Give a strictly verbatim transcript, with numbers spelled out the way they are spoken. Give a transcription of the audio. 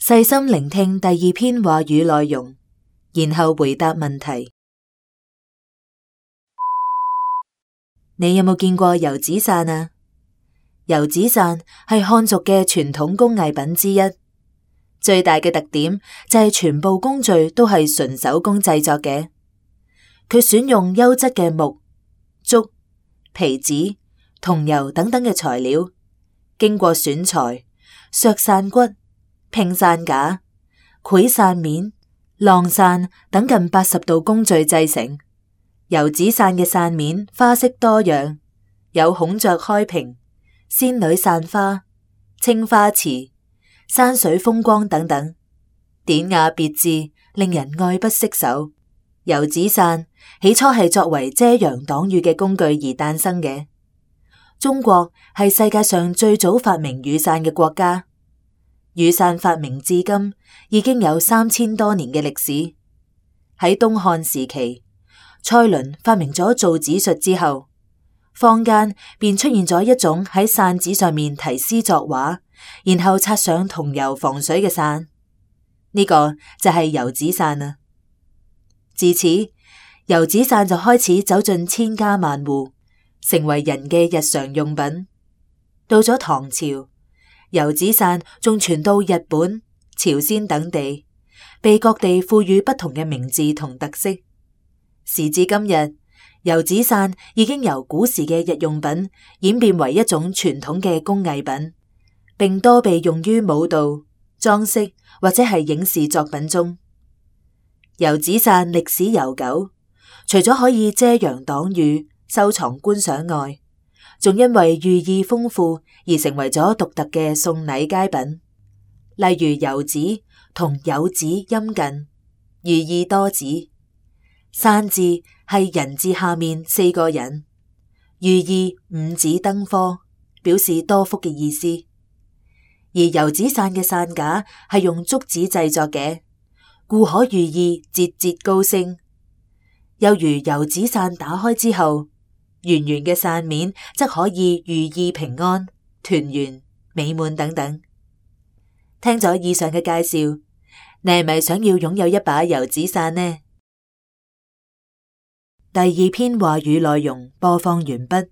細心聆聽第二篇話語內容，然後回答問題。你有冇見過油紙傘啊？油紙傘係漢族嘅傳統工藝品之一，最大嘅特點就係全部工序都係純手工製作嘅。佢選用優質嘅木、竹、皮紙、桐油等等嘅材料，經過選材、削傘骨、拼傘架、繪傘面、晾傘等近八十道工序製成。油紙傘嘅傘面花色多樣，有孔雀開屏、仙女散花、青花瓷、山水風光等等，典雅別致，令人愛不釋手。油紙傘起初係作為遮陽擋雨嘅工具而誕生嘅。中國係世界上最早發明雨傘嘅國家，雨傘發明至今已經有三千多年嘅歷史。喺東漢時期，蔡倫發明咗造紙術之後，坊間便出現咗一種喺傘紙上面題詩作畫，然後擦上桐油防水嘅傘，呢個就係油紙傘啦。自此，油紙傘就開始走進千家萬戶，成為人嘅日常用品。到咗唐朝，油紙傘仲傳到日本、朝鮮等地，被各地賦予不同嘅名字同特色。時至今日，油紙傘已經由古時嘅日用品演變為一種傳統嘅工藝品，並多被用於舞蹈、裝飾或者係影視作品中。油紙傘歷史悠久，除咗可以遮陽擋雨、收藏觀賞外，仲因為寓意豐富而成為咗獨特嘅送禮佳品。例如油紙同有紙音近，寓意多子。傘字係人字下面四個人，寓意五子登科，表示多福嘅意思。而油紙傘嘅傘架係用竹子製作嘅，故可寓意節節高升。又如油紙傘打開之後，圓圓嘅傘面則可以寓意平安、團圓、美滿等等。聽咗以上嘅介紹，你係咪想要擁有一把油紙傘呢？第二篇話語內容播放完畢。